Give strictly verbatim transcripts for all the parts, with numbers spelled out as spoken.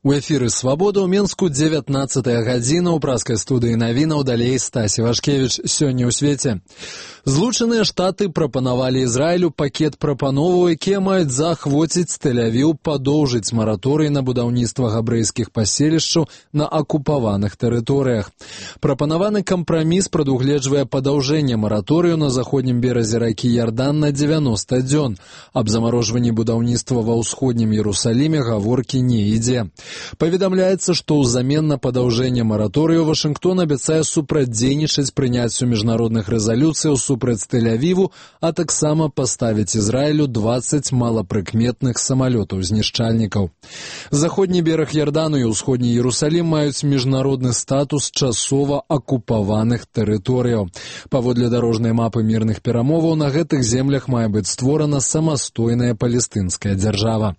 У эфіры «Свабода» ў Менску дзевятнаццатая гадзіна, у праскай студыі навінаў, далей Стасі Вашкевіч. Сёння ў свеце. Злучаныя Штаты прапанавалі Ізраілю пакет прапановаў, якія маюць заахвоціць Тель-Авіў падоўжыць мараторый на будаўніцтва габрэйскіх паселішчаў на акупаваных тэрыторыях. Прапанаваны кампраміс прадугледжвае падаўжэнне мараторыю на заходнім беразе ракі Ярдан на дзевяноста дзён. Аб замарожванні будаўніцтва ва ўсходнім Іерусаліме гаворкі не ідзе. Паведамляецца, што ўзамен на падаўжэнне мараторыю Вашынгтон абяцае супрацьдзейнічаць прыняццю міжнародных рэзалюцыяў супраць Тель-Авіву, а таксама паставіць Ізраілю дваццаць малапрыкметных самалётаў-знішчальнікаў. Заходні бераг Ярдану і ўсходні Іерусалім маюць міжнародны статус часова акупаваных тэрыторыяў. Паводле дарожнай мапы мірных перамоваў на гэтых землях мае быць створана самастойная палестынская дзяржава.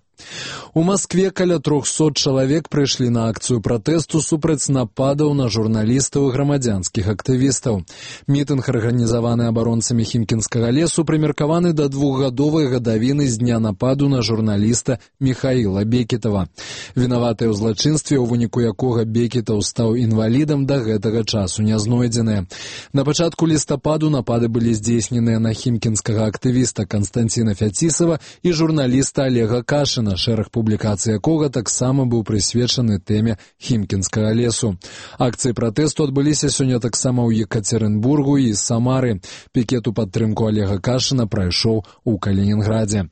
У Маскве каля трохсот чалавек прыйшлі на акцыю пратэсту супраць нападаў на журналістаў і грамадзянскіх актывістаў. Мітынг, арганізаваны абаронцамі Хімкінскага лесу, прымеркаваны да двухгадовай гадавіны з дня нападу на журналіста Міхаіла Бекетава. Вінаватыя ў злачынстве, у выніку якога Бекетаў стаў інвалідам, да гэтага часу не знойдзеныя. На пачатку лістападу напады былі здзейсненыя на хімкінскага актывіста Канстанціна Фяцісава і журналіста Олега Кашына, шэраг публікацый якога таксама быў прысвечаны тэме Хімкінскага лесу. Акцыі пратэсту адбыліся сёння таксама ў Екацерынбургу і Самары. Пікет у падтрымку Олега Кашына прайшоў у Калінінградзе.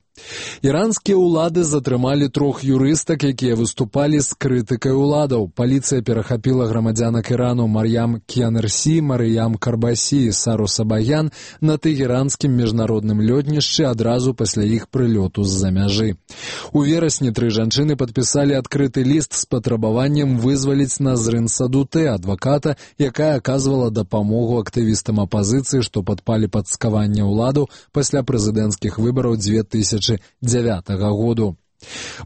Іранскія ўлады затрымалі трох юрыстак, якія выступалі з крытыкай уладаў. Паліцыя перахапіла грамадзянак Ірану Мар'ям Кіянерсі, Марыям Карбасі і Сару Сабаян на тэгеранскім міжнародным лётнішчы адразу пасля іх прылёту з-за мяжы. У верасні тры жанчыны падпісалі адкрыты ліст з патрабаваннем вызваліць Назрын Садутэ, адваката, якая аказвала дапамогу актывістам апазіцыі, што падпалі пад скаванне ўладаў пасля прэзідэнцкіх выбараў дзве тысячы дзявятага году.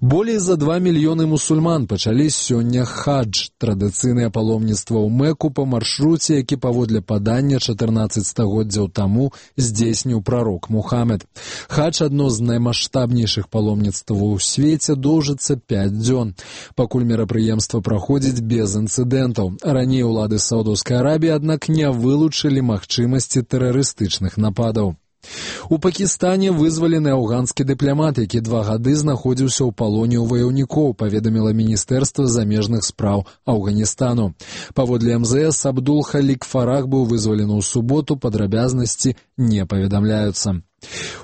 Болей за два мільёны мусульман пачалі сёння хадж, традыцыйнае паломніцтва ў Мэку па маршруце, які паводле падання чатырнаццаць стагоддзяў таму здзейсніў прарок Мухаммед. Хадж — адно з наймаштабнейшых паломніцтваў у свеце, доўжыцца пяць дзён. Пакуль мерапрыемства праходзіць без інцыдэнтаў. Раней улады Саудаўскай Арабіі, аднак, не вылучылі магчымасці тэрарыстычных нападаў. У Пакістане вызвалены афганскі дыпламат, які два гады знаходзіўся ў палоне ў ваяўнікоў, паведаміла Міністэрства замежных спраў Афганістану. Паводле эм зэ эс, Абдул Халік Фарах быў вызвалены ў суботу, падрабязнасці не паведамляюцца.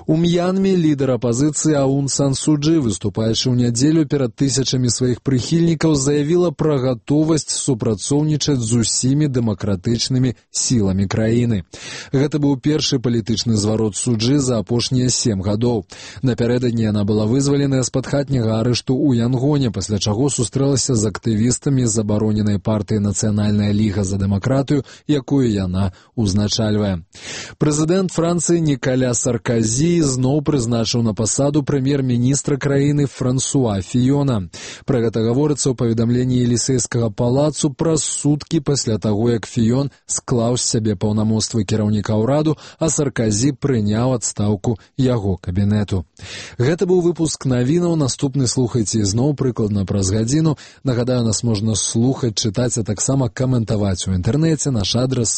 У М'янме лідар апазіцыі Аун Сан Су Чжы, выступаючы ў нядзелю перад тысячамі сваіх прыхільнікаў, заявіла пра гатовасць супрацоўнічаць з усімі дэмакратычнымі сіламі краіны. Гэта быў першы палітычны зварот Су Чжы за апошнія сем гадоў. Напярэдадні яна была вызваленая з-пад хатняга арышту ў Янгоне, пасля чаго сустрэлася з актывістамі забароненай партыі Нацыянальная ліга за дэмакратыю, якую яна ўзначальвае. Прэзідэнт Францыі Нікаля Сарказі зноў прызначыў на пасаду прэм'ер-міністра краіны Франсуа Фіёна. Пра гэта гаворыцца ў паведамленні Елісейскага палацу праз суткі пасля таго, як Фіён склаў з сябе паўнамоцтвы кіраўніка ўраду, а Сарказі прыняў адстаўку яго кабінету. Гэта быў выпуск навінаў. Наступны слухайце зноў прыкладна праз гадзіну. Нагадаю, нас можна слухаць, чытаць, а таксама каментаваць у інтэрнэце. Наш адрас